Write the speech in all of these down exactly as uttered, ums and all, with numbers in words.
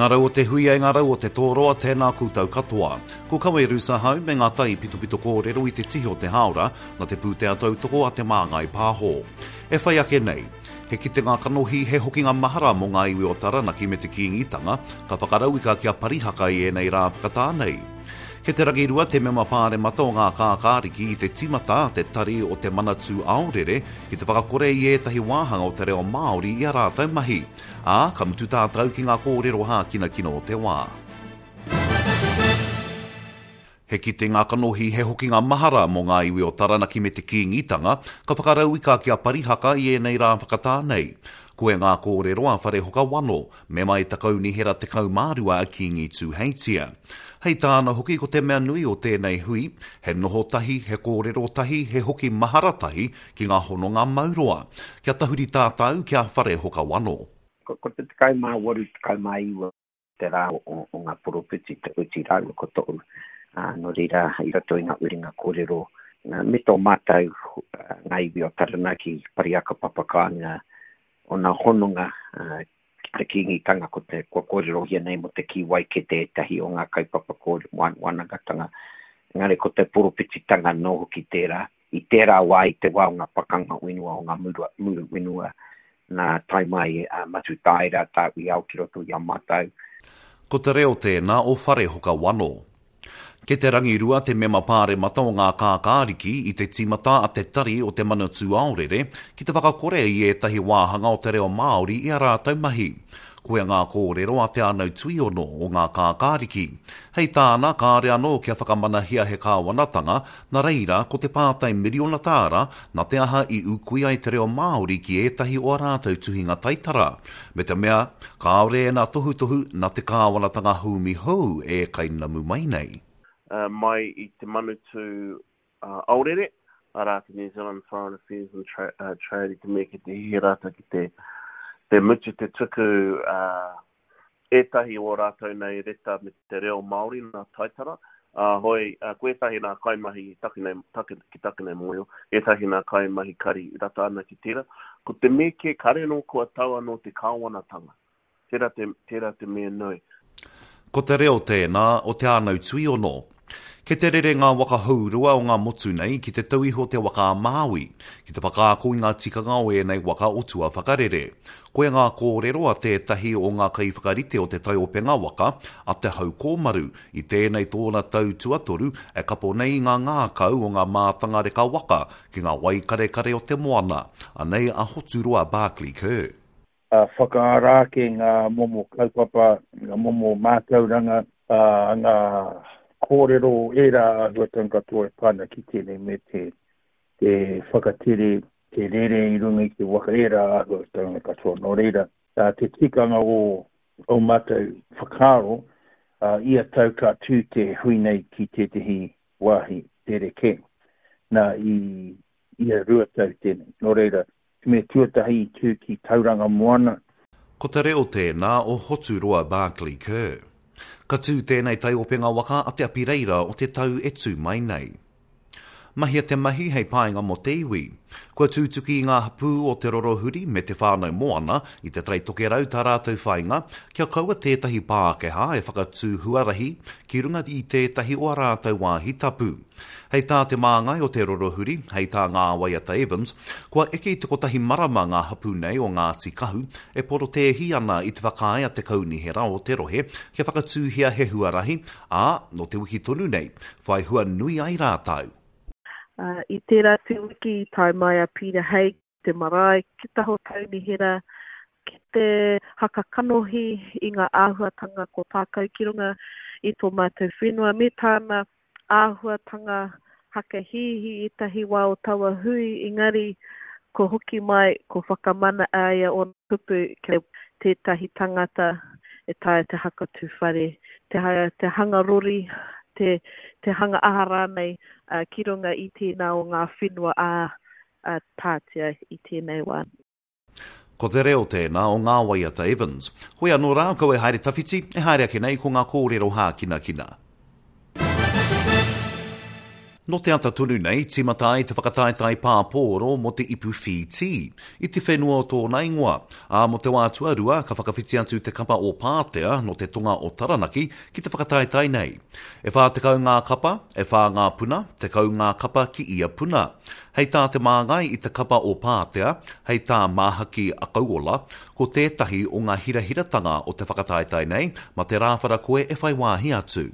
ngā rau o te huia, i ngā rau o te tōroa, tēnā koutou katoa. Ko Kawe Rusahau me ngā tai pitopito kōrero i te tihi o te hāora, na te pūtea tautoko a Te Māngai Pāho. E whai ake nei, he kitenga kanohi, he hokinga mahara mō ngā iwi o Taranaki me te Kīngitanga, ka whakarauika kia Parihaka i ēnei rā whakatā nei. Kei te rangirua te mema pāremata o ngā kākāriki i te tīmata a te Tari o te Manatū Aorere ki te whakakore i ētahi wāhanga o te reo Māori i a rātou mahi. Ā, ka mutu tātou ki ngā kōrero hākinakina o te wā. He kitenga kanohi, he hokinga mahara mō ngā iwi o Taranaki me te Kīngitanga, ka whakarauika ki a Parihaka i ēnei rā whakatā nei. Koe ngā kōrero a Wharehoka Wano, mema i te Kaunihera tekau mā rua a Kīngi Tūheitia. Hei tāna hoki ko te mea nui o tēnei hui, he noho tahi, he kōrero tahi, he hoki mahara tahi ki ngā hononga mauroa. Kia tahuri tātou ki a Wharehoka Wano. Ko, ko te tekau mā waru, tekau mā iwa te rā o, o, o ngā poropiti, te uti rāua ko to'u. Uh, nō reira, i roto i ngā uringa kōrero, uh, me tō mātou uh, ngā iwi o Taranaki, Parihaka Papakāinga, o nā hononga uh, ki te Kīngitanga, ko te, kua kōrerohia nei mō te kī waikete ētahi o ngā kaupapa kōrero, wānangatanga. Engari ko te poropititanga nō hoki tērā. I tērā wā, i te wā o ngā pakanga whenua, o ngā muru, muru whenua, nā tae mai a Matutaera, Tāwhiao ki roto i a mātou. Ko te reo tēnā o Wharehoka Wano. Kei te rangirua te mema pāremata o ngā kākāriki i te tīmata a te Tari o te Manatū Aorere ki te whakakore i ētahi wāhanga o te reo Māori i a rātou mahi. Koia ngā kōrero a Te Anau Tuiono o ngā kākāriki. Hei tāna, kāre anō kia whakamanahia he kāwanatanga, nā reira ko te pātai miriona tāra nā te aha i ūkui ai te reo Māori ki ētahi o a rātou tuhinga taitara. Me te mea, kāore e nā tohutohu nā te kāwanatanga haumi hou e kainamu mai nei. Uh, mai i te Manatū uh, Aorere, arā te New Zealand Foreign Affairs and Tra uh, Trade, i te mea ki te hihi rātou ki te, te mutu te tuku uh, ētahi o rātou nei reta me te reo Māori nā taitara. Uh, hoi, uh, ko ētahi nā kaimahi taku nei, taku, ki taku nei mōhio, ētahi nā kaimahi kari rata ana ki tērā. Ko te mea kē kare anō kua tau anō te kāwanatanga. Tērā te, tērā te mea nui. Ko te reo tēnā o Te Anau Tuiono. Kei te rere ngā waka hourua o ngā motu nei ki te tauiho te waka a Māui, ki te whakaako i ngā tikanga o ēnei waka o tua whakarere. Koia ngā kōrero a tētahi o ngā kaiwhakarite o te taiopenga waka, a Te Hau Kōmaru, i tēnei tōna tau tuatoru e kapo nei i ngā ngākau o ngā mātanga reka waka ki ngā waikarekare o te moana. Anei a Hoturoa Barclay Kerr. Uh, whakaara ake ngā momo kaupapa, ngā momo mātauranga, uh, ngā kōrero ērā āhuatanga katoa e pā ana ki tēnei me te, te whakatere, te rere i runga i te waka ērā āhuatanga katoa. Nō reira, uh, te tikanga o, o mātou whakaaro, uh, ia tau ka tū te hui nei ki tētehi wāhi rerekē. Nā, i ia rua tau tēnei. Nō reira, me tuatahi i tū ki Tauranga Moana. Ko te reo tēnā o Hoturoa Barclay Kerr. Ka tū tēnei taiopenga waka a Te Apireira o te tau e tū mai nei. Mahia te mahi hei painga mō te iwi. Kua tūtuki i ngā hapū o Te Rorohuri me Te Whānau Moana i te Tai Tokerau tā rātou whainga kia kaua tētahi Pākehā e whakatū huarahi ki runga i tētahi o a rātou wāhi tapu. Hei tā te māngai o Te Rorohuri, hei tā Ngā Waiata Evans, kua eke i te kotahi marama ngā hapū nei o Ngāti Kahu e porotēhi ana i te whakaae a te Kaunihera o te rohe kia whakatūhia he huarahi, ā, nō te wiki tonu nei, whai hua nui ai rātou. Uh, i tērā te wiki i tae mai a Peter Haig te marae ki taho kaunihera ki te haka kanohi i ngā āhuatanga ko tākau ki runga i tō mātou whenua me tāna āhuatanga hakahihi i tahi wā o taua hui, engari ko hoki mai, ko whakamana aia o kupu kia tētahi tangata e taea te hakatū whare, te, te hanga rori, te, te hanga aha rānei uh, ki runga i tēnā o ngā whenua a, a tātia i tēnei wā. Ko te reo tēnā o Ngā Waiata Evans. Hoi anō rā, kau e haere tawhiti, e haere ake nei ko ngā kōrero hākinakina. Nō te ata tonu nei, tīmata ai te whakataetae pāpōro mō te ipu Whītī, i te whenua o tōna ingoa. Ā, mō te wā tuarua, ka whakawhiti atu te kapa o Pātea nō te tonga o Taranaki ki te whakataetae nei. E whā tekau ngā kapa, e whā ngā puna, tekau ngā kapa ki ia puna. Hei tā te māngai i te kapa o Pātea, hei tā Māhaki Akauola, ko tētahi o ngā hirahiratanga o te whakataetae nei, mā te rāwhara koe e whai wāhi atu.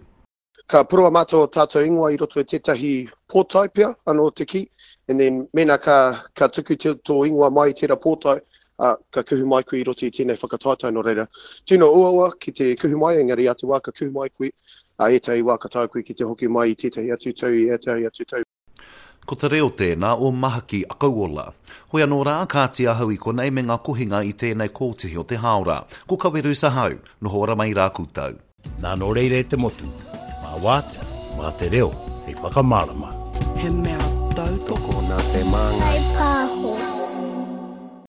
Ka purua mātou o tātou ingoa i roto i tētahi pōtae pea, anō te kī, and then mēnā ka, ka tuku te, tō ingoa mai i tērā pōtae, uh, ka kuhu mai koe i roto i tēnei whakataetae nō reira. Tino uaua ki te kuhu mai, engari a te wā ka kuhu mai koe, a ētahi wā ka taea koe ki te hoki mai i tētahi atu tau, i ētahi atu tau. Ko te reo tēnā o Mahaki Akauola. Hoi anō rā, kāti ahau i konei me ngā kohinga i tēnei kōtihi o te hāora. Ko Kaweru Sahau, noho ora mai rā koutou. Nā nō reira e te motu, mā wātea, mā te reo, hei whakamārama. He mea tautoko Tokona te māngai.